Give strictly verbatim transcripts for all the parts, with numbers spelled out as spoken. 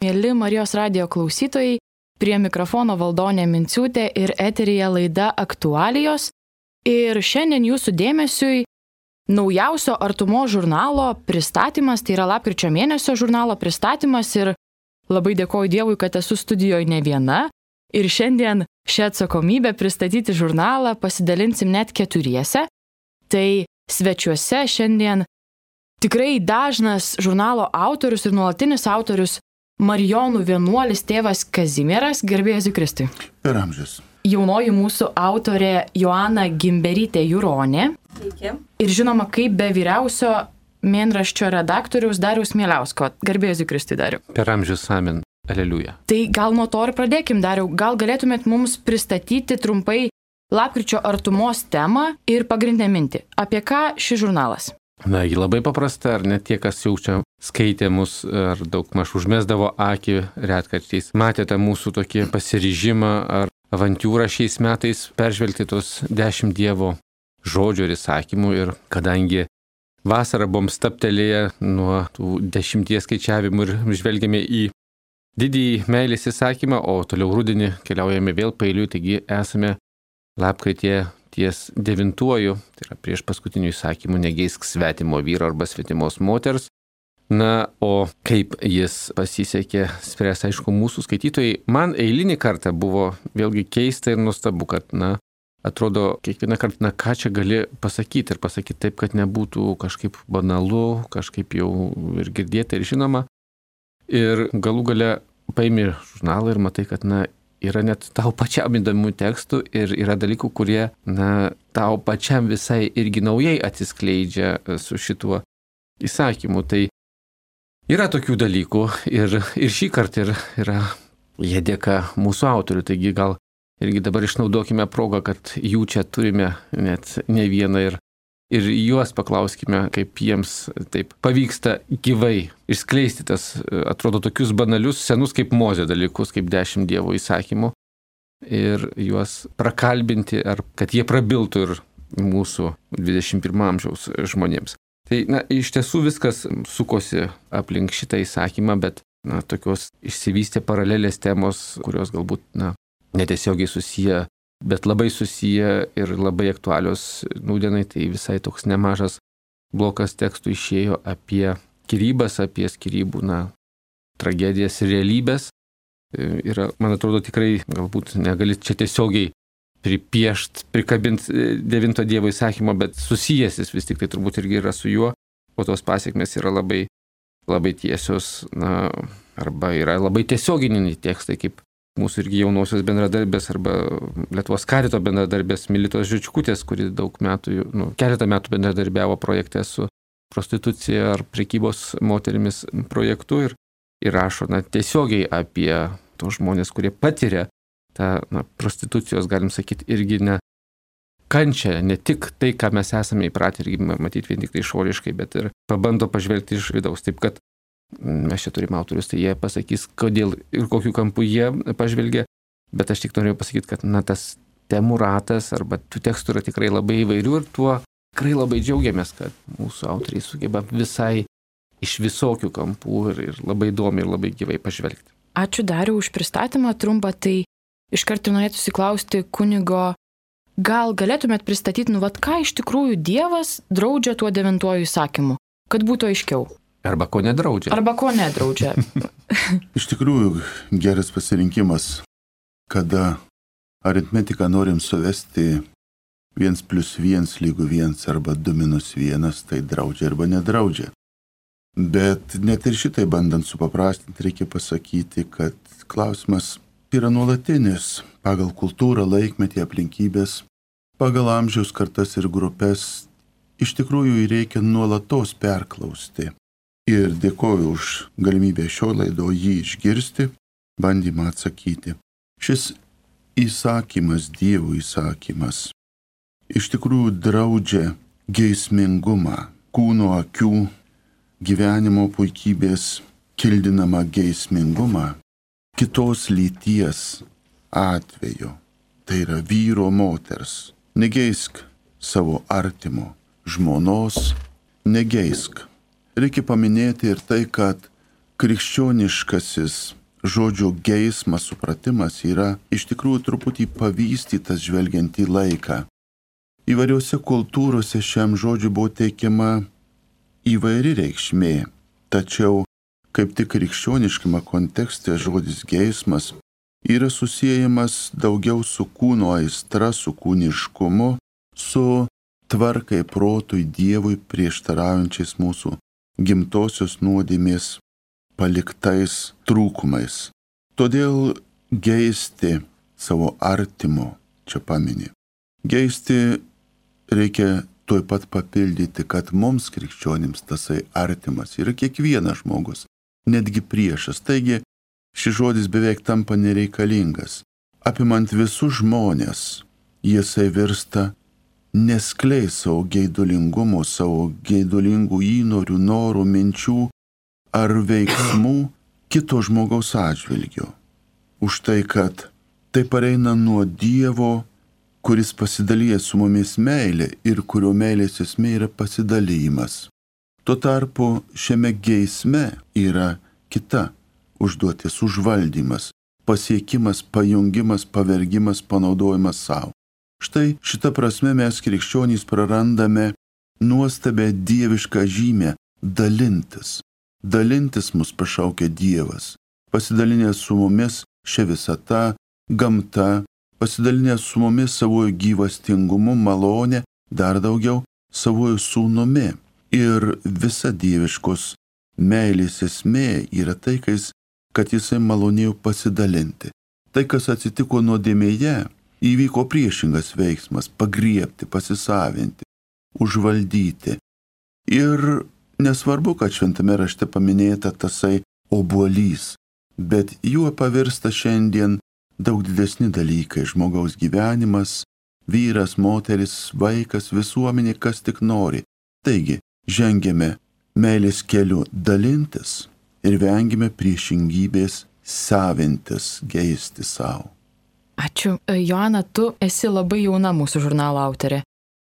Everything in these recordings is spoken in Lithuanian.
Mėly Marijos radijo klausytojai, prie mikrofono Valdonė Minciūtė ir eteryje laida Aktualijos. Ir šiandien jūsų dėmesiui naujausio Artumos žurnalo pristatymas, tai yra lapkričio mėnesio žurnalo pristatymas ir labai dėkoju Dievui, kad esu studijoje ne viena. Ir šiandien šią atsakomybę pristatyti žurnalą pasidalinsim net keturiese. Tai svečiuose šiandien tikrai dažnas žurnalo autorius ir nuolatinis autorius Marijonų vienuolis tėvas Kazimieras, garbė Jėzui Kristui. Per amžius. Jaunoji mūsų autorė Joana Gimberytė Juronė. Sveiki. Ir žinoma, kaip be vyriausio mėnraščio redaktoriaus Dariaus Mieliausko. Garbė Jėzui Kristui, Dariau. Per amžius, amen. Aleliuja. Tai gal nuo to ir pradėkim, Dariau. Gal galėtumėt mums pristatyti trumpai lapkričio artumos temą ir pagrindinę mintį. Apie ką šis žurnalas? Na, jį labai paprasta, ar net tie, kas jau čia skaitė mus, ar daug maž užmesdavo akį retkarčiais. Matėte mūsų tokį pasiryžimą ar avantūrą šiais metais peržvelgti tos dešimt Dievo žodžių ir įsakymų. Ir kadangi vasarą buvom staptelėję nuo tų dešimties skaičiavimų ir žvelgėme į didįjį meilės įsakymą, o toliau rudenį keliaujame vėl paeiliui, taigi esame lapkrityje ties devintuoju, tai yra prieš paskutinių įsakymų, negeisk svetimo vyro arba svetimos moters. Na, o kaip jis pasisekė spręs, aišku, mūsų skaitytojai. Man eilinį kartą buvo vėlgi keista ir nuostabu, kad, na, atrodo, kiekvieną kartą, na, ką čia gali pasakyti ir pasakyti taip, kad nebūtų kažkaip banalu, kažkaip jau ir girdėta ir žinoma. Ir galų gale paimi žurnalą ir matai, kad, na, yra net tau pačiam įdomių tekstų ir yra dalykų, kurie, na, tau pačiam visai irgi naujai atsiskleidžia su šituo įsakymu. Tai yra tokių dalykų ir, ir šį kartą ir, yra jie dėka mūsų autorių. Taigi gal irgi dabar išnaudokime progą, kad jų čia turime net ne vieną ir, ir juos paklauskime, kaip jiems taip pavyksta gyvai išskleisti tas, atrodo, tokius banalius, senus kaip Mozė dalykus, kaip dešimt Dievo įsakymų ir juos prakalbinti, ar kad jie prabiltų ir mūsų dvidešimt pirmo amžiaus žmonėms. Tai, na, iš tiesų viskas sukosi aplink šitą įsakymą, bet, na, tokios išsivystė paralelės temos, kurios galbūt, na, netiesiogiai susiję, bet labai susiję ir labai aktualios nūdienai, tai visai toks nemažas blokas tekstų išėjo apie skyrybas, apie skyrybų, na, tragedijas ir realybės. Ir, man atrodo, tikrai galbūt negali čia tiesiogiai pripiešt, prikabint devinto Dievo įsakymo, bet susijęs jis vis tik tai turbūt irgi yra su juo, o tos pasiekmes yra labai, labai tiesios, na, arba yra labai tiesioginiai tekstai, kaip mūsų irgi jaunosios bendradarbės arba Lietuvos karito bendradarbės Militos Žičkutės, kuri daug metų, nu, keletą metų bendradarbiavo projekte su prostitucija ar prekybos moterimis projektu ir, ir rašo, na, tiesiogiai apie tos žmonės, kurie patiria tą, na, prostitucijos, galim sakyti, irgi ne kančią, ne tik tai, ką mes esame įpratę irgi matyti vien tik tai išoriškai, bet ir pabando pažvelgti iš vidaus. Taip kad mes čia turime autorius, tai jie pasakys, kodėl ir kokiu kampu jie pažvelgia, bet aš tik norėjau pasakyti, kad, na, tas temų ratas arba tų tekstų yra tikrai labai įvairių ir tuo tikrai labai džiaugiamės, kad mūsų autoriai sugeba visai iš visokių kampų ir, ir labai įdomiai ir labai gyvai pažvelgti. Ačiū Dariau už pristatymą trumpą, tai iš karto norėtųsi klausti kunigo, gal galėtumėt pristatyti, nu, vat ką iš tikrųjų Dievas draudžia tuo devintuoju įsakymu, kad būtų aiškiau. Arba ko nedraudžia. Arba ko nedraudžia. Iš tikrųjų, geras pasirinkimas, kada aritmetiką norim suvesti viens plus viens lygu viens arba du minus vienas, tai draudžia arba nedraudžia. Bet net ir šitai bandant supaprastinti, reikia pasakyti, kad klausimas yra nuolatinis pagal kultūrą, laikmetį, aplinkybės, pagal amžiaus kartas ir grupės. Iš tikrųjų, reikia nuolatos perklausti. Ir dėkoju už galimybę šio laido jį išgirsti, bandymą atsakyti. Šis įsakymas, Dievo įsakymas, iš tikrųjų draudžia geismingumą, kūno akių, gyvenimo puikybės kildinamą geismingumą kitos lyties atveju. Tai yra vyro moters. Negeisk savo artimo žmonos, negeisk. Reikia paminėti ir tai, kad krikščioniškasis žodžio geismas, supratimas yra iš tikrųjų truputį pavystytas žvelgiant į laiką. Įvairiose kultūrose šiam žodžiui buvo teikiama įvairi reikšmė, tačiau kaip tik krikščioniškame kontekste žodis geismas yra susiejamas daugiau su kūno aistra, su kūniškumu, su tvarkai protui Dievui prieštaraujančiais mūsų gimtosios nuodėmės paliktais trūkumais. Todėl geisti savo artimo čia paminė. Geisti reikia tuoj pat papildyti, kad mums krikščionims tasai artimas yra kiekvienas žmogus, netgi priešas. Taigi šis žodis beveik tampa nereikalingas. Apimant visus žmonės, jisai virsta neskleis savo geidulingumo, savo geidulingų įnorių, norų, minčių ar veiksmų kito žmogaus atžvilgiu. Už tai, kad tai pareina nuo Dievo, kuris pasidalyja su mumis meilė ir kurio meilės esmė yra pasidalymas. Tuo tarpu šiame geisme yra kita užduotis, užvaldymas, pasiekimas, pajungimas, pavergimas, panaudojimas savo. Štai šitą prasme mes krikščionys prarandame nuostabę dievišką žymę dalintis. Dalintis mus pašaukia Dievas, pasidalinęs su mumis šia visata, gamta, pasidalinęs su mumis savojo gyvastingumu, malonė, dar daugiau savojo sūnumi. Ir visa dieviškos meilės esmė yra tai, kad jisai malonėjo pasidalinti. Tai, kas atsitiko nuodėmėje, įvyko priešingas veiksmas - pagriebti, pasisavinti, užvaldyti. Ir nesvarbu, kad šventame rašte paminėta tasai obuolys, bet juo pavirsta šiandien daug didesni dalykai - žmogaus gyvenimas, vyras, moteris, vaikas, visuomenė, kas tik nori. Taigi, žengėme meilės keliu dalintis ir vengime priešingybės savintis, geisti savo. Ačiū. Joana, tu esi labai jauna mūsų žurnalo autorė.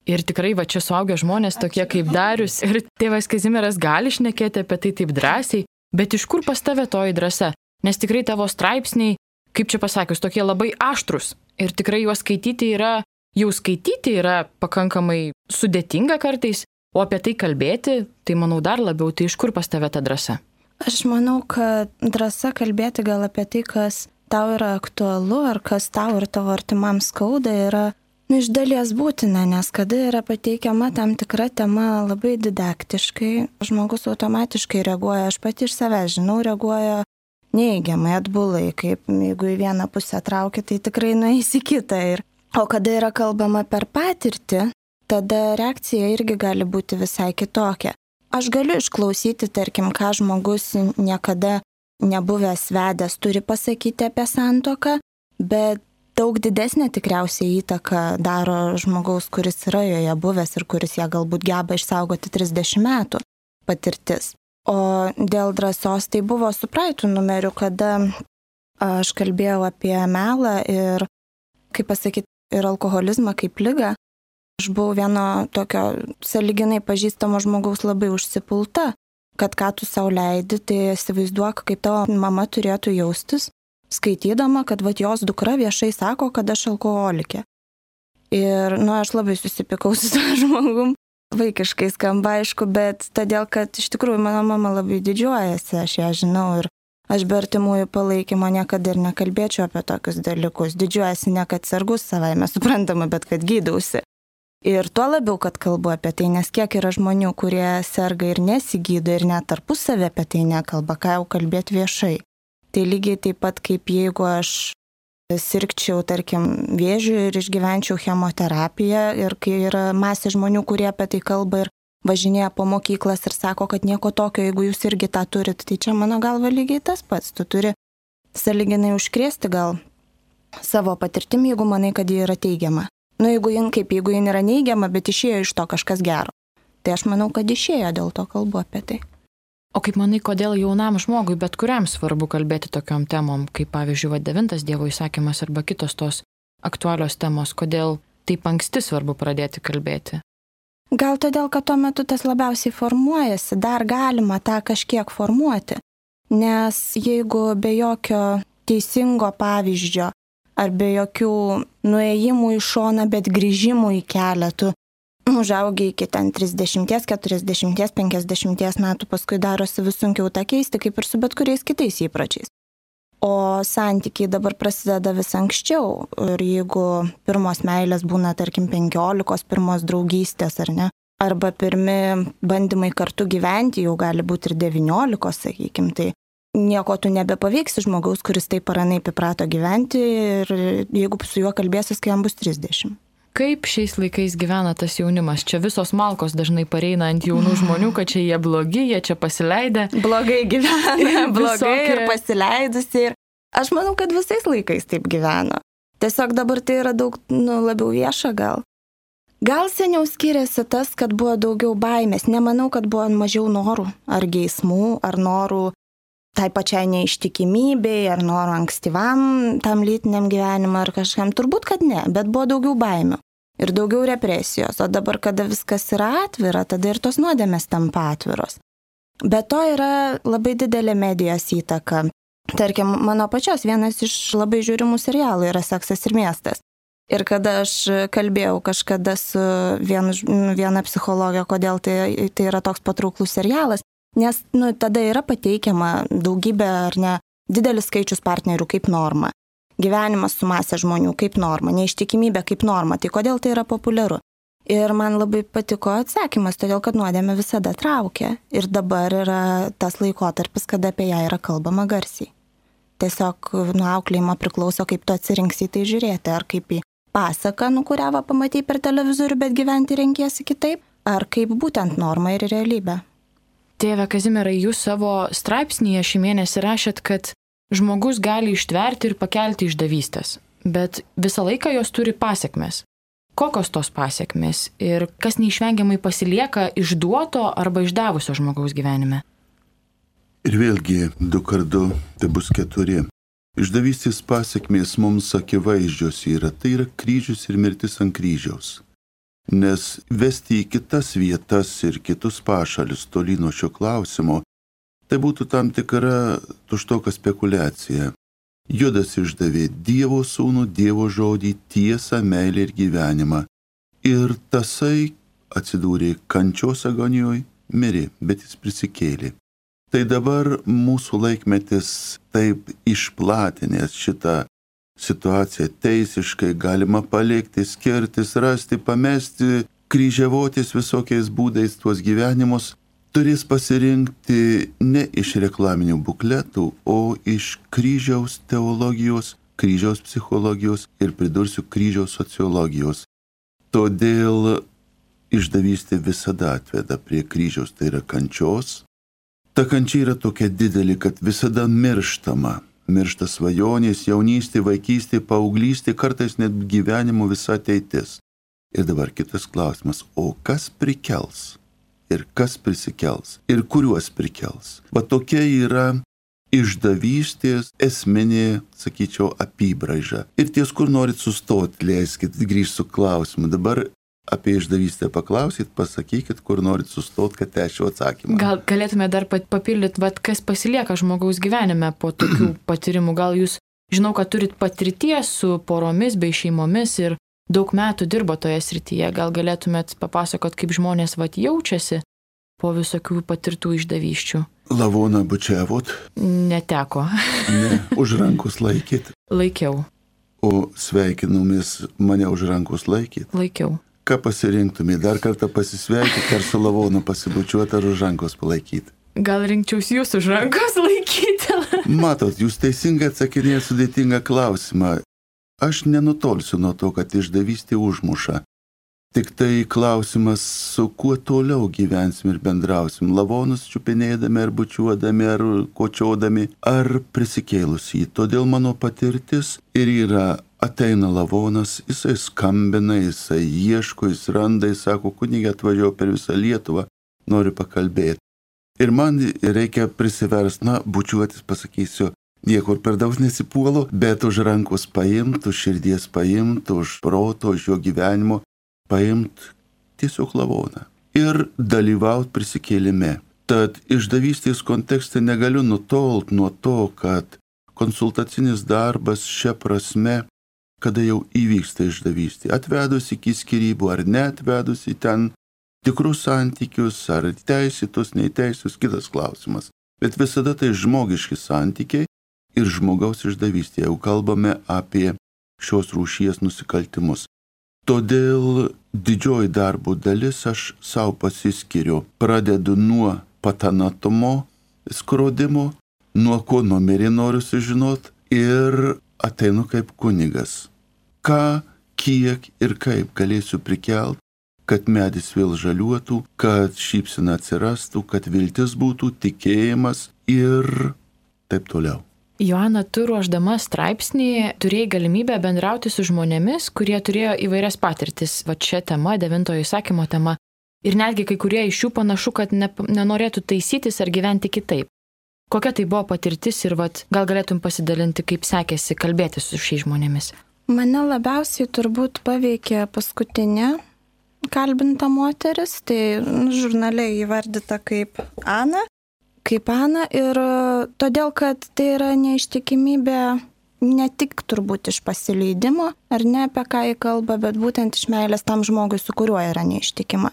Ir tikrai va čia suaugę žmonės tokie kaip Darius ir tėvas Kazimieras gali šnekėti apie tai taip drąsiai, bet iš kur pas tave toji drąsa? Nes tikrai tavo straipsniai, kaip čia pasakius, tokie labai aštrus. Ir tikrai juos skaityti yra, jau skaityti yra pakankamai sudėtinga kartais, o apie tai kalbėti, tai manau dar labiau, tai iš kur pas tave ta drąsa? Aš manau, kad drąsa kalbėti gal apie tai, kas tau yra aktualu, ar kas tau ir tavo artimam skauda, yra nu, iš dalies būtina, nes kada yra pateikiama tam tikra tema labai didaktiškai, žmogus automatiškai reaguoja, aš pati iš savęs žinau, reaguoja neigiamai, atbulai, kaip jeigu į vieną pusę traukia, tai tikrai nueis į kitą. Ir, o kada yra kalbama per patirtį, tada reakcija irgi gali būti visai kitokia. Aš galiu išklausyti, tarkim, ką žmogus niekada nebuvęs vedęs turi pasakyti apie santuoką, bet daug didesnė tikriausiai įtaka daro žmogaus, kuris yra joje buvęs ir kuris ją galbūt geba išsaugoti trisdešimt metų patirtis. O dėl drąsos tai buvo su praeitų numeriu, kada aš kalbėjau apie melą ir, kaip pasakyti, ir alkoholizmą kaip ligą. Aš buvau vieno tokio sąlyginai pažįstamo žmogaus labai užsipulta, kad ką tu sau leidi, tai įsivaizduok, kaip tavo mama turėtų jaustis, skaitydama, kad vat jos dukra viešai sako, kad aš alkoholikė. Ir, nu, aš labai susipykau su tą žmogum, vaikiškai skamba, aišku, bet todėl, kad iš tikrųjų mano mama labai didžiuojasi, aš ją žinau ir aš be artimųjų palaikymo niekada ir nekalbėčiau apie tokius dalykus. Didžiuojasi ne kad sergus savaime suprantama, bet kad gydausi. Ir tuo labiau, kad kalbu apie tai, nes kiek yra žmonių, kurie serga ir nesigydo ir net tarpusavį apie tai nekalba, ką jau kalbėti viešai. Tai lygiai taip pat kaip jeigu aš sirgčiau, tarkim, vėžiu ir išgyvenčiau chemoterapiją ir kai yra masė žmonių, kurie apie tai kalba ir važinėja po mokyklas ir sako, kad nieko tokio, jeigu jūs irgi tą turit, tai čia mano galva lygiai tas pats. Tu turi sąlyginai užkrėsti gal savo patirtim, jeigu manai, kad ji yra teigiama. Nu, jeigu jin kaip, jeigu jin yra neigiama, bet išėjo iš to kažkas gero. Tai aš manau, kad išėjo, dėl to kalbu apie tai. O kaip manai, kodėl jaunam žmogui, bet kuriam svarbu kalbėti tokiom temom, kaip pavyzdžiui, va, devintas Dievo įsakymas arba kitos tos aktualios temos, kodėl taip anksti svarbu pradėti kalbėti? Gal todėl, kad tuo metu tas labiausiai formuojasi, dar galima tą kažkiek formuoti. Nes jeigu be jokio teisingo pavyzdžio ar be jokių nuėjimų į šoną, bet grįžimų į kelią, tu užaugi iki ten trisdešimties, keturiasdešimties, penkiasdešimties metų, paskui darosi vis sunkiau tą keisti, kaip ir su bet kuriais kitais įpročiais. O santykiai dabar prasideda vis anksčiau. Ir jeigu pirmos meilės būna, tarkim, penkiolikos, pirmos draugystės, ar ne? Arba pirmi bandymai kartu gyventi jau gali būti ir devyniolikos, sakykim, tai nieko tu nebepaveiksi žmogaus, kuris taip ar anaip įprato gyventi ir jeigu su juo kalbėsis, kai jam bus trisdešimt. Kaip šiais laikais gyvena tas jaunimas? Čia visos malkos dažnai pareina ant jaunų žmonių, kad čia jie blogi, jie čia pasileidę. Blogai gyvena, blogai Visokie... ir pasileidusi. Ir aš manau, kad visais laikais taip gyveno. Tiesiog dabar tai yra daug nu, labiau vieša gal. Gal seniau skiriasi tas, kad buvo daugiau baimės. Nemanau, kad buvo mažiau norų ar geismų, ar norų tai pačiai neištikimybei, ar noro ankstyvam tam lytiniam gyvenimui, ar kažkam. Turbūt, kad ne, bet buvo daugiau baimių ir daugiau represijos. O dabar, kada viskas yra atvira, tada ir tos nuodėmės tampa atviros. Be to yra labai didelė medijos įtaka. Tarkim, mano pačios vienas iš labai žiūrimų serialų yra Seksas ir miestas. Ir kada aš kalbėjau kažkada su vienu, viena psichologė, kodėl tai, tai yra toks patrauklus serialas, nes nu, tada yra pateikiama daugybė ar ne didelis skaičius partnerių kaip norma, gyvenimas su masė žmonių kaip norma, neištikimybė kaip norma, tai kodėl tai yra populiaru. Ir man labai patiko atsakymas, todėl kad nuodėmė visada traukia ir dabar yra tas laikotarpis, kada apie ją yra kalbama garsiai. Tiesiog nuo auklėjimo priklauso, kaip tu atsirinksi tai žiūrėti, ar kaip į pasaką, nu kurią va pamatai per televizorių, bet gyventi renkiesi kitaip, ar kaip būtent norma ir realybė. Tėve Kazimierai, jūs savo straipsnyje šį mėnesį rašėt, kad žmogus gali ištverti ir pakelti išdavystės, bet visą laiką jos turi pasiekmes. Kokios tos pasiekmes ir kas neišvengiamai pasilieka išduoto arba išdavusio žmogaus gyvenime? Ir vėlgi, du kart du, tai bus keturi. Išdavystės pasiekmės mums akivaizdžios yra, tai yra kryžius ir mirtis ant kryžiaus. Nes vesti į kitas vietas ir kitus pašalius toli nuo šio klausimo, tai būtų tam tikra tuštoka spekulacija. Judas išdavė Dievo sūnų, Dievo žodį, tiesą, meilę ir gyvenimą. Ir tasai atsidūrė kančios agonijoje, mirė, bet jis prisikėlė. Tai dabar mūsų laikmetis taip išplatinęs šitą situaciją teisiškai, galima palikti, skirtis, rasti, pamesti, kryžiavotis visokiais būdais tuos gyvenimus, turės pasirinkti ne iš reklaminių bukletų, o iš kryžiaus teologijos, kryžiaus psichologijos ir pridursiu kryžiaus sociologijos. Todėl išdavystė visada atveda prie kryžiaus, tai yra kančios. Ta kančia yra tokia didelė, kad visada mirštama. Miršta svajonės, jaunystė, vaikystė, paauglystė, kartais net gyvenimo visa ateitis. Ir dabar kitas klausimas, o kas prikels? Ir kas prisikels? Ir kuriuos prikels? Va tokia yra išdavystės esminė, sakyčiau, apibraiža. Ir ties, kur norit sustoti, leiskit, grįžti su klausimu. Dabar apie išdavystę paklausyt, pasakykit, kur norit sustot, kad tęsčiau atsakymą. Gal galėtume dar papildyti, vat, kas pasilieka žmogaus gyvenime po tokių patyrimų. Gal jūs, žinau, kad turit patirties su poromis bei šeimomis ir daug metų dirbo toje srityje. Gal galėtumėt papasakot, kaip žmonės vat jaučiasi po visokių patirtų išdavysčių? Lavoną bučiavot? Neteko. Ne, už rankos laikyt. Laikiau. O sveikinumis mane už rankos laikyt? Laikiau. Ką pasirinktumė? Dar kartą pasisveikyti, ar su lavonu pasibučiuoti, ar už rankos palaikyti? Gal rinkčiaus jūs už rankos laikyti? Matot, jūs teisingai atsakinėjate sudėtingą klausimą. Aš nenutolsiu nuo to, kad išdavystė užmuša. Tik tai klausimas, su kuo toliau gyvensim ir bendrausim. Lavonus čiupinėdami, ar bučiuodami, ar kočiodami, ar prisikėlus jį. Todėl mano patirtis ir yra, ateina lavonas, jisai skambina, jisai ieško, jis randa, jis sako, kunigė atvažiavo per visą Lietuvą, noriu pakalbėti. Ir man reikia prisiversti, na, bučiuotis, pasakysiu, niekur per daug nesipuolu, bet už rankos paimt, už širdies paimt, už proto, už jo gyvenimo paimt tiesiog lavoną. Ir dalyvauti prisikėlime. Tad išdavystės kontekste negaliu nutolt nuo to, kad konsultacinis darbas šia prasme, kada jau įvyksta išdavystė, atvedus iki skyrybų ar neatvedus į ten tikrus santykius, ar teisėtus, neteisėtus, kitas klausimas. Bet visada tai žmogiški santykiai ir žmogaus išdavystė, jau kalbame apie šios rūšies nusikaltimus. Todėl didžioji darbų dalis aš savo pasiskiriu. Pradedu nuo patanatumo, skrodimo, nuo ko numerį noriu sužinot ir ateinu kaip kunigas. Ką, kiek ir kaip galėsiu prikelt, kad medis vėl žaliuotų, kad šypsena atsirastų, kad viltis būtų, tikėjimas ir taip toliau. Joana, tu ruošdama straipsnį turėjai galimybę bendrauti su žmonėmis, kurie turėjo įvairias patirtis, va čia tema, devintojo įsakymo tema. Ir netgi kai kurie iš jų panašu, kad ne, nenorėtų taisytis ar gyventi kitaip. Kokia tai buvo patirtis ir vat, gal galėtum pasidalinti, kaip sekėsi kalbėti su šiais žmonėmis? Mane labiausiai turbūt paveikė paskutinė kalbinta moteris, tai nu, žurnale įvardyta kaip Ana. Kaip Ana ir todėl, kad tai yra neištikimybė ne tik turbūt iš pasileidimo, ar ne apie ką jį kalba, bet būtent iš meilės tam žmogui, su kuriuo yra neištikima.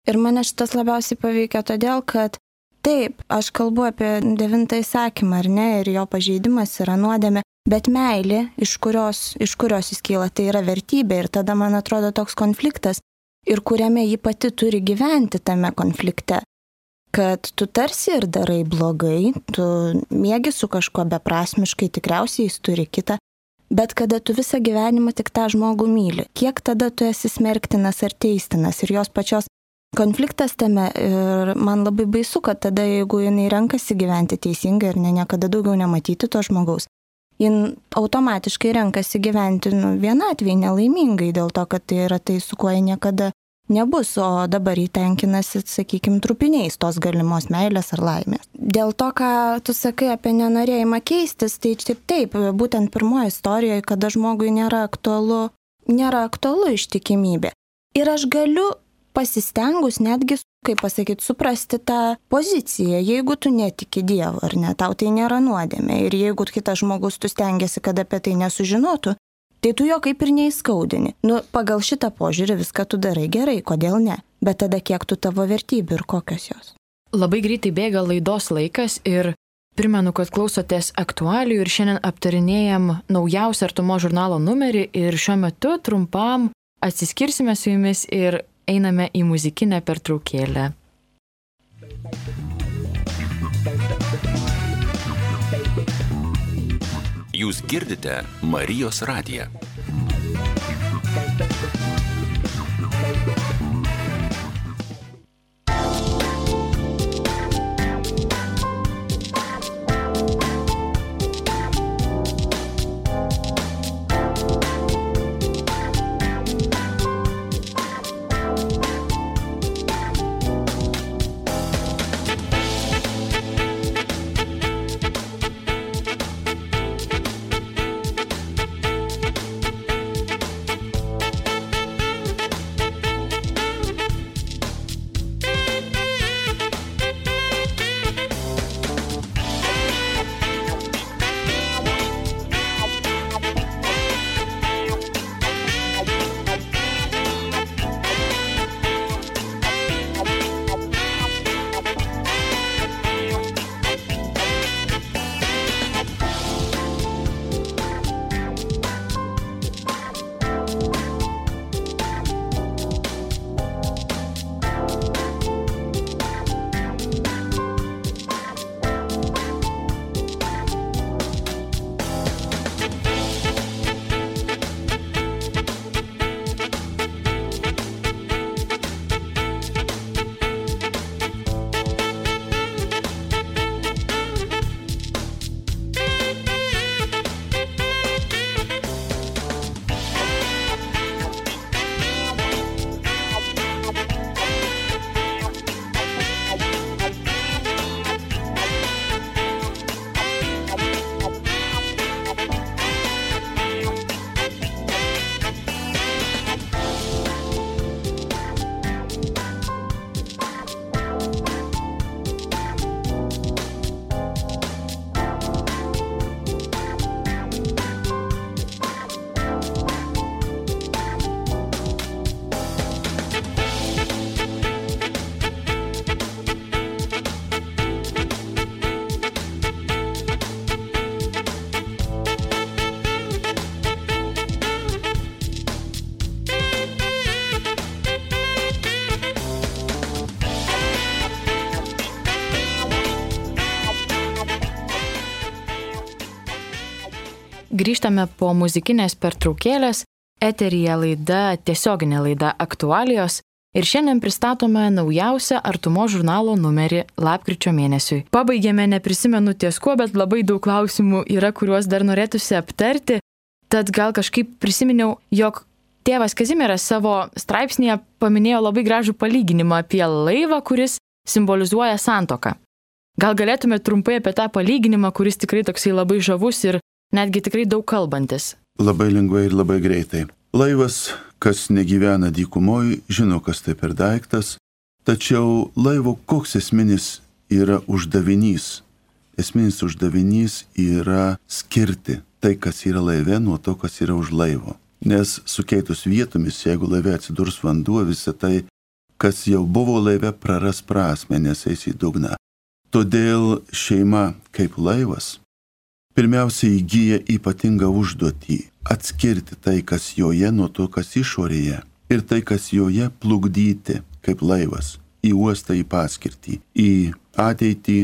Ir mane šitas labiausiai paveikia todėl, kad taip, aš kalbu apie devintą įsakymą, ar ne, ir jo pažeidimas yra nuodėmė, bet meilė, iš kurios, iš kurios jis kyla, tai yra vertybė ir tada man atrodo toks konfliktas, ir kuriame ji pati turi gyventi tame konflikte. Kad tu tarsi ir darai blogai, tu mėgi su kažkuo beprasmiškai, tikriausiai jis turi kitą, bet kada tu visą gyvenimą tik tą žmogų myli, kiek tada tu esi smerktinas ar teistinas ir jos pačios konfliktas tame ir man labai baisu, kad tada jeigu jinai renkasi gyventi teisingai ir ne niekada daugiau nematyti to žmogaus, jin automatiškai renkasi gyventi nu, vienatvėj nelaimingai dėl to, kad tai yra tai, su kuo jie niekada nebus, o dabar įtenkinasi, sakykime, trupiniais tos galimos meilės ar laimės. Dėl to, ką tu sakai apie nenorėjimą keistis, tai taip, taip, būtent pirmoje istorijoje, kada žmogui nėra aktualu, nėra aktualu ištikimybė. Ir aš galiu pasistengus netgi, kaip pasakyti, suprasti tą poziciją, jeigu tu netiki Dievu, ar ne, tau tai nėra nuodėmė. Ir jeigu kitas žmogus tu stengiasi, kad apie tai nesužinotų, tai tu jo kaip ir neįskaudini. Nu, pagal šitą požiūrį viską tu darai gerai, kodėl ne? Bet tada kiek tu tavo vertybių ir kokios jos? Labai greitai bėga laidos laikas ir primenu, kad klausotės aktualijų ir šiandien aptarinėjam naujausią Artumo žurnalo numerį ir šiuo metu trumpam atsiskirsime su jumis ir einame į muzikinę pertraukėlę. Jūs girdite Marijos radiją. grįžtame po muzikinės pertraukėlės, eteryje laida, tiesioginė laida Aktualijos ir šiandien pristatome naujausią Artumos žurnalo numerį lapkričio mėnesiui. Pabaigėme, neprisimenu ties kuo, bet labai daug klausimų yra, kuriuos dar norėtųsi aptarti, tad gal kažkaip prisiminiau, jog tėvas Kazimieras savo straipsnėje paminėjo labai gražų palyginimą apie laivą, kuris simbolizuoja santuoką. Gal galėtume trumpai apie tą palyginimą, kuris tikrai toksai labai žavus ir netgi tikrai daug kalbantis. Labai lengvai ir labai greitai. Laivas, kas negyvena dykumoj, žino, kas tai per daiktas, tačiau laivo koks esminis yra uždavinys. Esminis uždavinys yra skirti tai, kas yra laive, nuo to, kas yra už laivo. Nes sukeitus vietomis, jeigu laive atsidurs vanduo, visą tai, kas jau buvo laive, praras prasmę, nes eis į dugną. Todėl šeima kaip laivas pirmiausia įgyja ypatingą užduotį atskirti tai, kas joje, nuo to, kas išorėje, ir tai, kas joje, plukdyti kaip laivas į uostą, į paskirtį, į ateitį,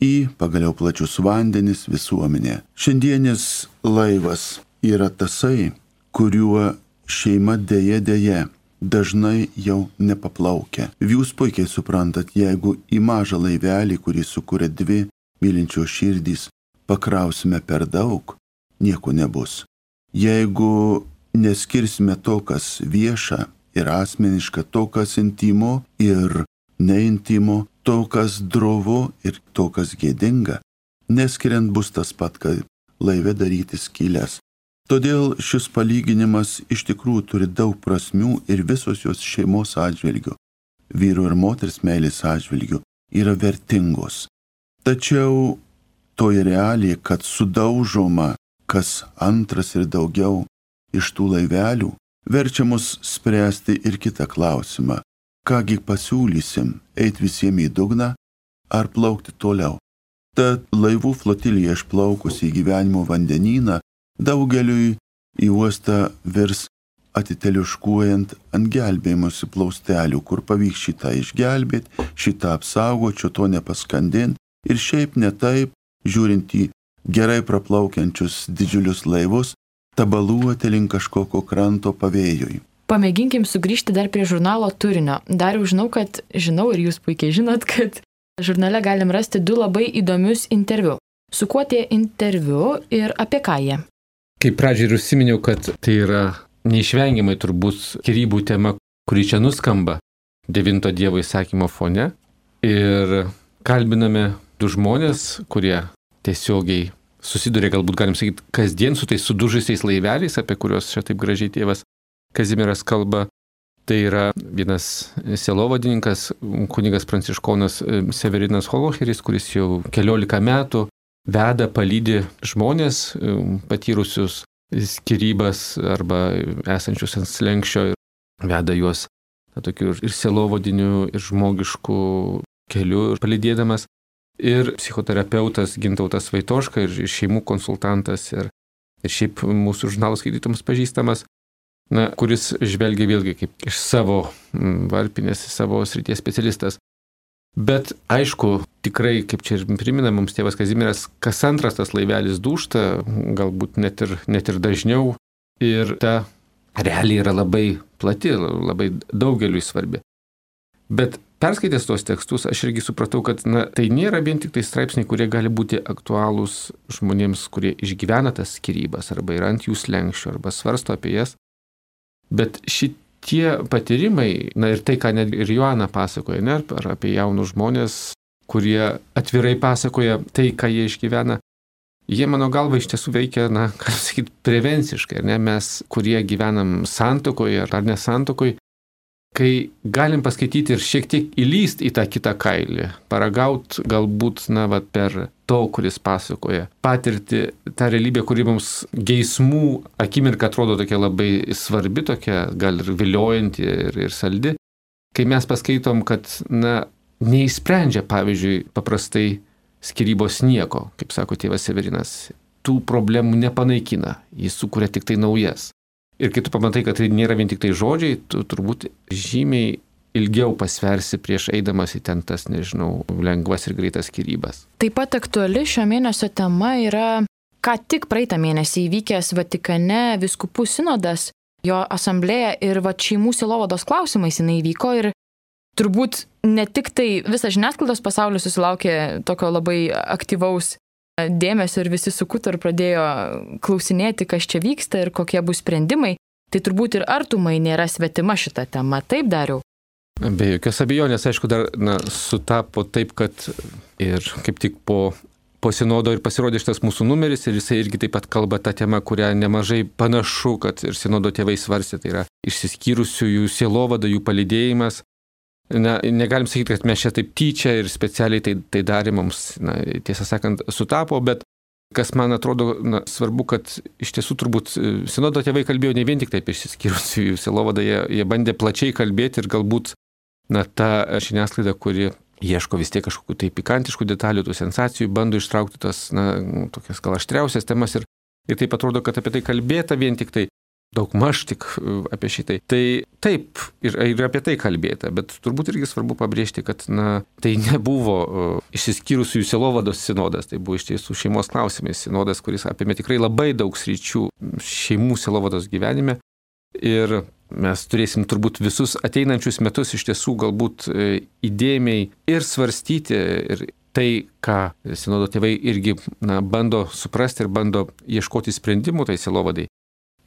į pagaliau plačius vandenis, visuomenę. Šiandienis laivas yra tasai, kuriuo šeima dėja dėja dažnai jau nepaplaukia. Jūs puikiai suprantat, jeigu į mažą laivelį, kurį sukuria dvi mylinčios širdys, pakrausime per daug, nieko nebus. Jeigu neskirsime to, kas vieša ir asmeniška, to, kas intimo ir neintimo, to, kas drovu ir to, kas gėdinga, neskiriant bus tas pat, kad laive daryti skylės. Todėl šis palyginimas iš tikrųjų turi daug prasmių ir visos jos šeimos atžvilgių, vyro ir moters meilės atžvilgių, yra vertingos. Tačiau toji realija, kad sudaužoma kas antras ir daugiau iš tų laivelių, verčia mus spręsti ir kitą klausimą. Kągi pasiūlysim, eit visiems į dugną ar plaukti toliau? Tad laivų flotilija išplaukus į gyvenimo vandenyną daugeliui į uostą virs atiteliuškuojant ant gelbėjimosi plaustelių, kur pavyks šitą išgelbėti, šitą apsaugoti, šio to nepaskandinti ir šiaip ne taip, žiūrint į gerai praplaukiančius didžiulius laivus, tabaluoti link kažkokio kranto pavėjui. Pamėginkim sugrįžti dar prie žurnalo turinio. Dar jau žinau, kad žinau ir jūs puikiai žinot, kad žurnale galim rasti du labai įdomius interviu. Su kuo tie interviu ir apie ką jie? Kaip pradžiai ir užsiminiau, kad tai yra neišvengiamai turbūt skyrybų tema, kuri čia nuskamba devinto Dievo įsakymo fone. Ir kalbiname du žmonės, kurie tiesiogiai susiduria, galbūt galim sakyti, kasdien su tais sudužusiais laiveliais, apie kuriuos čia taip gražiai tėvas Kazimieras kalba. Tai yra vienas sielovadininkas, kunigas pranciškonas Severinas Holocheris, kuris jau keliolika metų veda, palydi žmonės patyrusius skyrybas arba esančius ant slenksčio ir veda juos na, tokiu ir sielovadiniu, ir žmogišku keliu palydėdamas. Ir psichoterapeutas Gintautas Vaitoška, ir šeimų konsultantas, ir, ir šiaip mūsų žurnalo skaitytams pažįstamas, na, kuris žvelgia vėlgi kaip iš savo varpinės, savo srities specialistas. Bet aišku, tikrai, kaip čia ir primena mums tėvas Kazimieras, kas antras tas laivelis dūžta, galbūt net ir, net ir dažniau. Ir ta realija yra labai plati, labai daugeliui svarbi. Bet perskaitęs tos tekstus, aš irgi supratau, kad na, tai nėra vien tik tai straipsniai, kurie gali būti aktualūs žmonėms, kurie išgyvena tas skyrybas, arba yra ant jų slenksčio, arba svarsto apie jas. Bet šitie Tie patyrimai, na ir tai, ką net ir Joana pasakoja, ne, ar apie jaunus žmonės, kurie atvirai pasakoja tai, ką jie išgyvena, jie mano galva iš tiesų veikia, na, ką sakyti, prevenciškai, ne, mes, kurie gyvenam santuokoje ar nesantuokoje, kai galim paskaityti ir šiek tiek įlyst į tą kitą kailį, paragaut galbūt, na, va, per to, kuris pasakoja, patirti tą realybę, kuri mums geismų akimirka atrodo tokia labai svarbi, tokia gal ir viliojanti ir, ir saldi, kai mes paskaitom, kad, na, neįsprendžia, pavyzdžiui, paprastai skyrybos nieko, kaip sako tėvas Severinas, tų problemų nepanaikina, jis sukuria tik tai naujas. Ir kai tu pamatai, kad tai nėra vien tik tai žodžiai, tu turbūt žymiai ilgiau pasversi prieš eidamas į ten tas, nežinau, lengvas ir greitas skyrybas. Taip pat aktuali šio mėnesio tema yra ką tik praeitą mėnesį įvykęs Vatikane vyskupų sinodas, jo asamblėja ir va šeimų sielovados klausimais jinai įvyko ir turbūt ne tik tai visas žiniasklaidos pasaulis susilaukė tokio labai aktyvaus dėmesio ir visi sukuto ir pradėjo klausinėti, kas čia vyksta ir kokie bus sprendimai, tai turbūt ir artumai nėra svetima šita tema. Taip, Dariau? Be jokios abejonės, aišku, dar na, sutapo taip, kad ir kaip tik po, po sinodo ir pasirodė šitas mūsų numeris ir jisai irgi taip pat kalba tą temą, kurią nemažai panašu, kad ir sinodo tėvai svarstė, tai yra išsiskyrusiųjų sielovada, jų palydėjimas. Na, negalim sakyti, kad mes čia taip tyčia ir specialiai tai, tai darė mums, na, tiesą sakant, sutapo, bet kas man atrodo na, svarbu, kad iš tiesų turbūt sinodo tėvai kalbėjo ne vien tik taip išsiskyrusiųjų sielovadą, jie, jie bandė plačiai kalbėti ir galbūt na, ta žiniasklaida, kuri ieško vis tiek kažkokių tai pikantiškų detalių, tų sensacijų, bando ištraukti tas, na, tokias gal aštriausias temas ir, ir taip atrodo, kad apie tai kalbėta vien tik tai, daug maž tik apie šitai. Tai taip, ir, ir apie tai kalbėta, bet turbūt irgi svarbu pabrėžti, kad na, tai nebuvo uh, išsiskyrusiųjų sielovados sinodas, tai buvo iš tiesų šeimos klausimais sinodas, kuris apėmė tikrai labai daug sričių šeimų sielovados gyvenime. Ir mes turėsim turbūt visus ateinančius metus iš tiesų galbūt įdėmiai ir svarstyti ir tai, ką sinodo tėvai irgi na, bando suprasti ir bando ieškoti sprendimų tai sielovadai.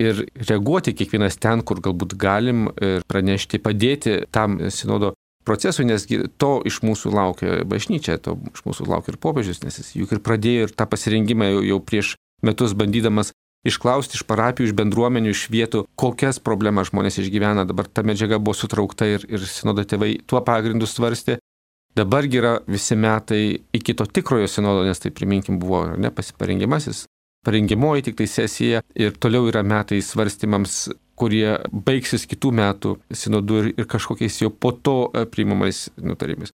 Ir reaguoti kiekvienas ten, kur galbūt galim ir pranešti, padėti tam sinodo procesui, nes to iš mūsų laukia bažnyčia, to iš mūsų laukia ir popiežius, nes jis juk ir pradėjo ir tą pasirengimą jau, jau prieš metus bandydamas išklausti iš parapijų, iš bendruomenių, iš vietų, kokias problemas žmonės išgyvena. Dabar ta medžiaga buvo sutraukta ir, ir sinodo tėvai tuo pagrindu svarstė. Dabargi yra visi metai iki to tikrojo sinodo, nes tai priminkim buvo ne pasiparengimasis, parengimoji tik tai sesija ir toliau yra metai svarstymams, kurie baigsis kitų metų sinodų ir, ir kažkokiais jau po to priimamais nutarimais.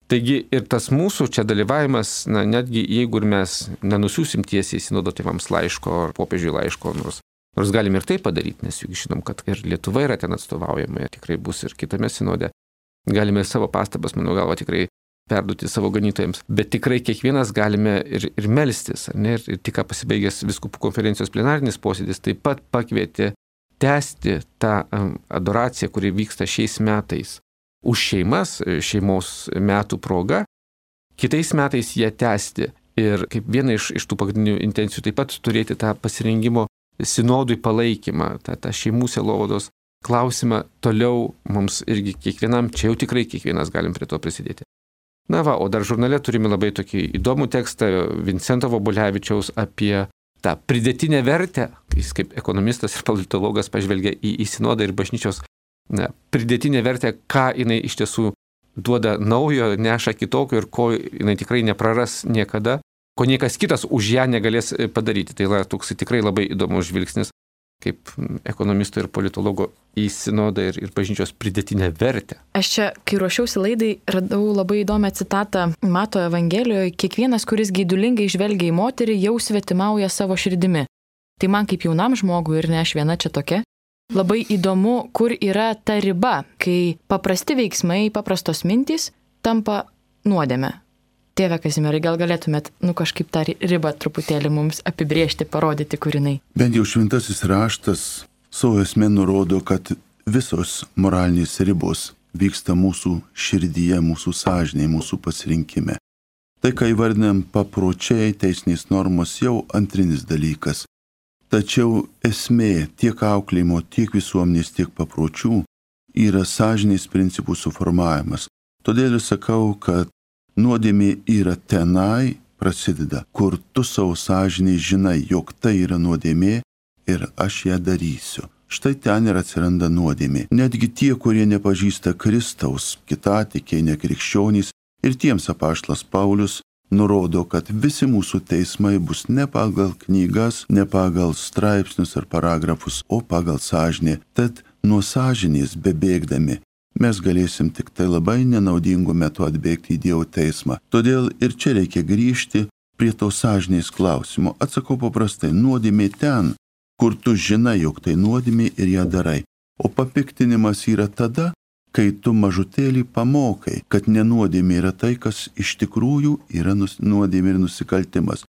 Taigi ir tas mūsų čia dalyvavimas, na, netgi jeigu ir mes nenusiųsim tiesiai sinodo tėvams laiško ar popiežiui laiško, nors, nors galim ir tai padaryti, nes juk žinom, kad ir Lietuva yra ten atstovaujama, ir tikrai bus ir kitame sinode. Galime ir savo pastabas, mano galva, tikrai perduoti savo ganytojams, bet tikrai kiekvienas galime ir, ir melstis, ne? Ir, ir tik ką pasibaigęs vyskupų konferencijos plenarinis posėdis taip pat pakvietė tęsti tą um, adoraciją, kuri vyksta šiais metais už šeimas, šeimos metų proga, kitais metais ją tęsti ir kaip viena iš, iš tų pagrindinių intencijų taip pat turėti tą pasirengimo sinodui palaikymą, tą, tą šeimų sielovados klausimą toliau mums irgi kiekvienam, čia jau tikrai kiekvienas galim prie to prisidėti. Na va, o dar žurnale turime labai tokį įdomų tekstą Vincento Vobulevičiaus apie tą pridėtinę vertę, jis kaip ekonomistas ir politologas pažvelgia į, į sinodą ir bažnyčios ne, pridėtinė vertė, ką jinai iš tiesų duoda naujo, neša kitokio ir ko jinai tikrai nepraras niekada, ko niekas kitas už ją negalės padaryti. Tai yra toks tikrai labai įdomus žvilgsnis kaip ekonomisto ir politologo į sinodą ir, ir bažnyčios pridėtinę vertę. Aš čia, kai ruošiausi laidai, radau labai įdomią citatą Mato Evangelijoje: kiekvienas, kuris geidulingai žvelgia į moterį, jau svetimauja savo širdimi. Tai man kaip jaunam žmogui ir ne aš viena čia tokia, labai įdomu, kur yra ta riba, kai paprasti veiksmai, paprastos mintys tampa nuodėme. Tėve Kazimierai, gal galėtumėt, nu kažkaip tą ribą truputėlį mums apibriežti, parodyti, kur jinai? Bent jau šventasis raštas savo esmė nurodo, kad visos moralinės ribos vyksta mūsų širdyje, mūsų sąžinėje, mūsų pasirinkime. Tai, ką įvardinam papročiai, teisinės normos, jau antrinis dalykas. Tačiau esmė tiek auklėjimo, tiek visuomenės, tiek papročių yra sąžinės principų suformavimas. Todėl ir sakau, kad nuodėmė yra tenai prasideda, kur tu savo sąžinėj žinai, jog tai yra nuodėmė ir aš ją darysiu. Štai ten ir atsiranda nuodėmė. Netgi tie, kurie nepažįsta Kristaus, kitatikiai, nekrikščionys, ir tiems apaštalas Paulius nurodo, kad visi mūsų teismai bus ne pagal knygas, ne pagal straipsnius ar paragrafus, o pagal sąžinę. Tad nuo sąžinės bebėgdami mes galėsim tik tai labai nenaudingų metų atbėgti į Dievo teismą. Todėl ir čia reikia grįžti prie to sąžinės klausimo. Atsakau paprastai, nuodėmė ten, kur tu žinai, jog tai nuodėmė ir ją darai. O papiktinimas yra tada, kai tu mažutėlį pamokai, kad nenuodėmė yra tai, kas iš tikrųjų yra nuodėmė ir nusikaltimas.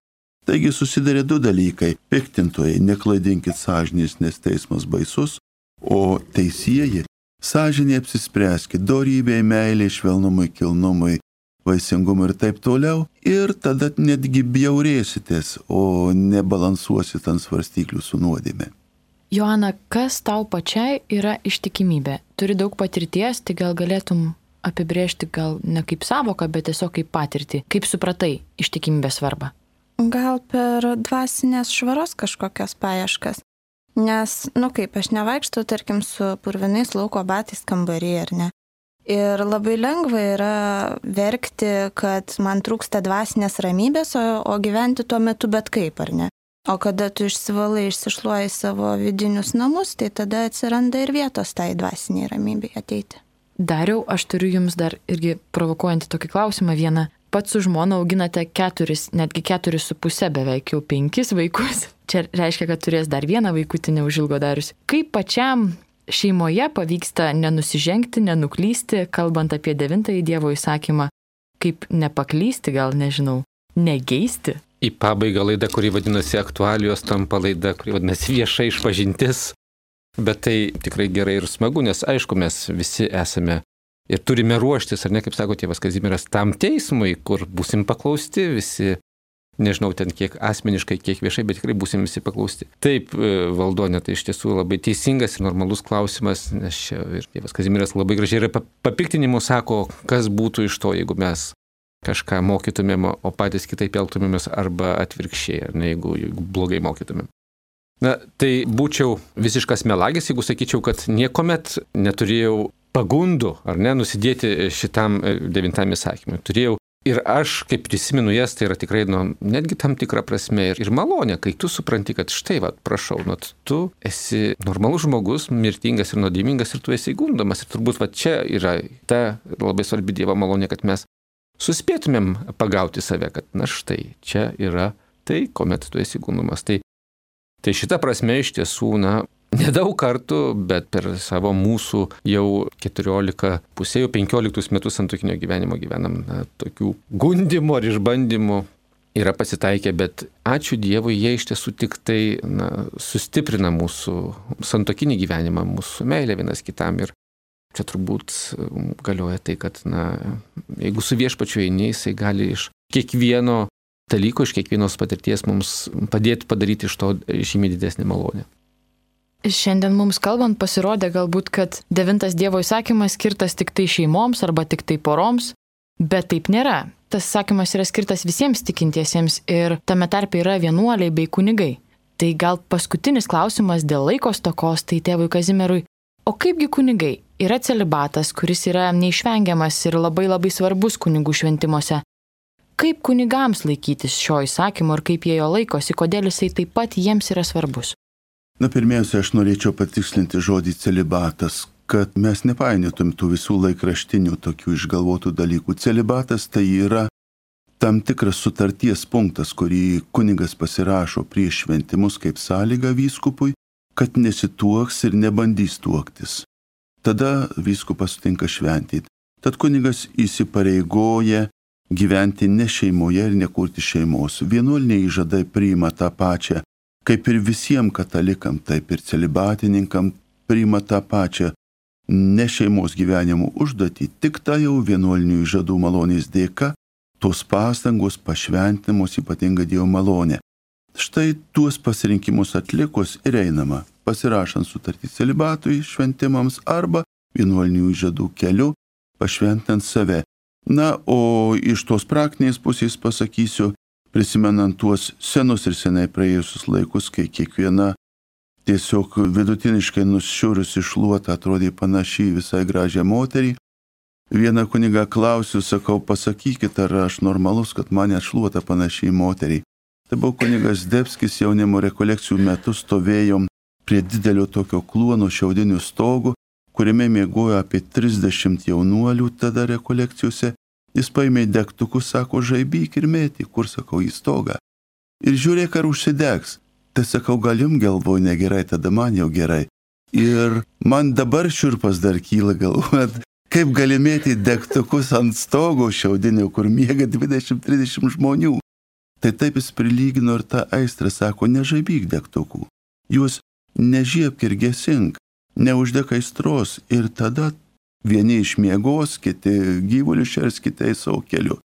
Taigi susidarė du dalykai. Piktintojai, neklaidinkit sąžinės, nes teismas baisus, o teisieji, sąžinė apsispręskit, dorybei, meiliai, švelnumui, kilnumui, vaisingumui ir taip toliau. Ir tada netgi bjaurėsitės, o nebalansuosit ant svarstyklių su nuodėme. Joana, kas tau pačiai yra ištikimybė? Turi daug patirties, tai gal galėtum apibrėžti gal ne kaip savoką, bet tiesiog kaip patirtį. Kaip supratai ištikimybės svarbą? Gal per dvasinės švaros kažkokias paieškas. Nes, nu kaip, aš nevaikštau, tarkim, su purvinais lauko batais kambarį, ar ne? Ir labai lengva yra verkti, kad man trūksta dvasinės ramybės, o, o gyventi tuo metu bet kaip, ar ne? O kada tu išsivalai, išsišluoji savo vidinius namus, tai tada atsiranda ir vietos tai dvasiniai ramybei ateiti. Dariau, aš turiu jums dar irgi provokuojantį tokį klausimą vieną. Pats su žmona auginate keturis, netgi keturis su pusė, beveik jau penkis vaikus. Čia reiškia, kad turės dar vieną vaikutį neužilgo Darius. Kaip pačiam šeimoje pavyksta nenusižengti, nenuklysti, kalbant apie devintąjį Dievo įsakymą, kaip nepaklysti, gal nežinau, negeisti? Į pabaigą laida, kuri vadinasi aktualijos, tampa laida, kuri vadinasi vieša išpažintis. Bet tai tikrai gerai ir smagu, nes aišku, mes visi esame ir turime ruoštis, ar ne, kaip sako tėvas Kazimieras, tam teismui, kur būsim paklausti visi, nežinau ten kiek asmeniškai, kiek viešai, bet tikrai būsim visi paklausti. Taip, Valdone, tai iš tiesų labai teisingas ir normalus klausimas, nes čia ir tėvas Kazimieras labai gražiai ir papiktinimu sako, kas būtų iš to, jeigu mes kažką mokytumėm, o patys kitaip elgtumėmės arba atvirkščiai, ar ne, jeigu, jeigu blogai mokytumėm. Na, tai būčiau visiškas melagis, jeigu sakyčiau, kad niekuomet neturėjau pagundų, ar ne, nusidėti šitam devintam įsakymui. Turėjau ir aš, kaip prisimenu jas, tai yra tikrai, nu, netgi tam tikra prasme ir, ir malonė, kai tu supranti, kad štai, va, prašau, nu, tu esi normalus žmogus, mirtingas ir nuodėmingas ir tu esi gundomas. Ir turbūt va čia yra ta labai svarbi Dievo malonė, kad mes suspėtumėm pagauti save, kad na štai, čia yra tai, kuomet tu esi gundomas. Tai, tai šita prasme iš tiesų, na, nedaug kartų, bet per savo mūsų jau keturiolika, pusė jau penkioliktus metus santuokinio gyvenimo gyvenam, na, tokių gundimų ar išbandymų yra pasitaikę, bet ačiū Dievui, jie iš tiesų tik tai, na, sustiprina mūsų santuokinį gyvenimą, mūsų meilę vienas kitam. Ir čia turbūt galioja tai, kad, na, jeigu su viešpačiu eini, jisai gali iš kiekvieno dalyko, iš kiekvienos patirties mums padėti padaryti iš to žymiai didesnį malonę. Šiandien mums kalbant pasirodė galbūt, kad devintas Dievo įsakymas skirtas tik tai šeimoms arba tik tai poroms, bet taip nėra. Tas įsakymas yra skirtas visiems tikintiesiems ir tame tarpe yra vienuoliai bei kunigai. Tai gal paskutinis klausimas dėl laiko stokos, tai tėvui Kazimierui. O kaipgi kunigai? Yra celibatas, kuris yra neišvengiamas ir labai labai svarbus kunigų šventimuose. Kaip kunigams laikytis šio įsakymo ir kaip jie jo laikosi, kodėl jisai taip pat jiems yra svarbus? Na, pirmiausia, aš norėčiau patikslinti žodį celibatas, kad mes nepainiotum tų visų laikraštinių tokių išgalvotų dalykų. Celibatas tai yra tam tikras sutarties punktas, kurį kunigas pasirašo prieš šventimus kaip sąlyga vyskupui, kad nesituoks ir nebandys tuoktis. Tada vyskupas sutinka šventyti. Tad kunigas įsipareigoja gyventi ne šeimoje ir nekurti šeimos. Vienuoliniai įžadai priima tą pačią, kaip ir visiems katalikam, taip ir celibatininkam priima tą pačią ne šeimos gyvenimo užduotį, tik tai jau vienuolinių įžadų malonės dėka, tos pastangos pašventinamos ypatinga Dievo malonė. Štai tuos pasirinkimus atlikus ir einama, pasirašant sutartį celibatui šventimams arba vienuolinių įžadų keliu, pašventinant save. Na, o iš tos praktinės pusės pasakysiu, prisimenant tuos senus ir senai praėjusius laikus, kai kiekviena tiesiog vidutiniškai nušiurusi šluota atrodė panašiai visai gražią moterį. Vieną kunigą klausiu, sakau, pasakykit, ar aš normalus, kad mane šluota panašiai moteriai. Tai buvo kunigas Debskis, jaunimo rekolekcijų metu stovėjom prie didelio tokio kluono šiaudinių stogų, kuriame miegojo apie trisdešimt jaunuolių tada rekolekcijose. Jis paėmė degtukus, sako, žaibyk ir mėtį, kur, sakau, į stogą. Ir žiūrėk, ar užsidegs. Tai sakau, gal jums galvoju negerai, tada man jau gerai. Ir man dabar šiurpas dar kyla galvojant, kaip gali mėtyti degtukus ant stogo šiaudinio, kur miega dvidešimt trisdešimt žmonių. Tai taip jis prilygino ir tą aistrą, sako, nežaibyk degtukų, juos nežiebk ir gesink, neuždek aistros ir tada vieni išmiegos, kiti gyvulių šers, kitai savo keliu.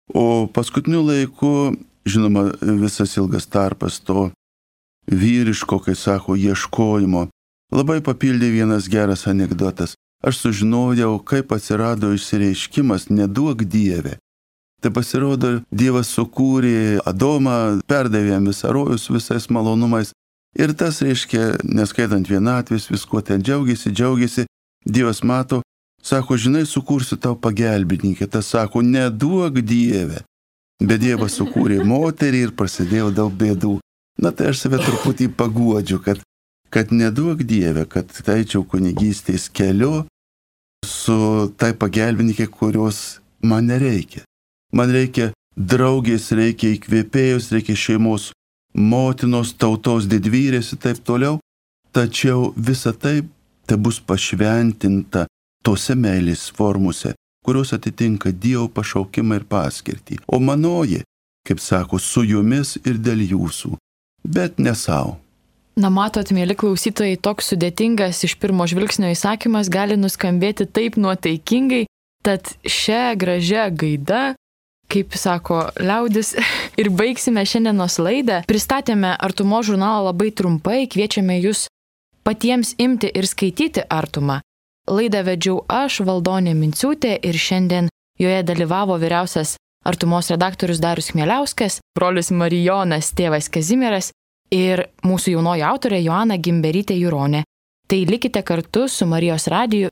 O paskutiniu laiku, žinoma, visas ilgas tarpas to vyriško, kai sako, ieškojimo, labai papildė vienas geras anekdotas. Aš sužinojau, kaip atsirado išsireiškimas neduok Dieve. Tai pasirodo, Dievas sukūrė Adomą, perdavė jam visą rojų su visais malonumais. Ir tas reiškia, neskaitant vienatvės, viskuo ten džiaugiasi, džiaugiasi. Dievas mato, sako, žinai, sukursiu tau pagelbininkę. Tas sako, neduok Dieve. Bet Dievas sukūrė moterį ir prasidėjo daug bėdų. Na tai aš save truputį paguodžiu, kad, kad neduok Dieve, kad taičiau kunigystės keliu su tai pagelbininkė, kurios man nereikia. Man reikia draugės, reikia įkvėpėjus, reikia šeimos motinos, tautos didvyrės ir taip toliau. Tačiau visa tai te bus pašventinta tose meilės formose, kurios atitinka Dievo pašaukimą ir paskirtį. O manoji, kaip sako, su jumis ir dėl jūsų, bet ne savo. Na matot, mėly klausytojai, toks sudėtingas iš pirmo žvilgsnio įsakymas gali nuskambėti taip nuotaikingai, tad šią gražią gaidą, kaip sako liaudis, ir baigsime šiandienos laidą. Pristatėme Artumo žurnalą labai trumpai, kviečiame jūs patiems imti ir skaityti Artumą. Laidą vedžiau aš, Valdonė Minciūtė, ir šiandien joje dalyvavo vyriausias Artumos redaktorius Darius Chmieliauskas, brolis Marijonas, tėvas Kazimieras ir mūsų jaunoji autorė Joana Gimberytė Juronė. Tai likite kartu su Marijos radiju.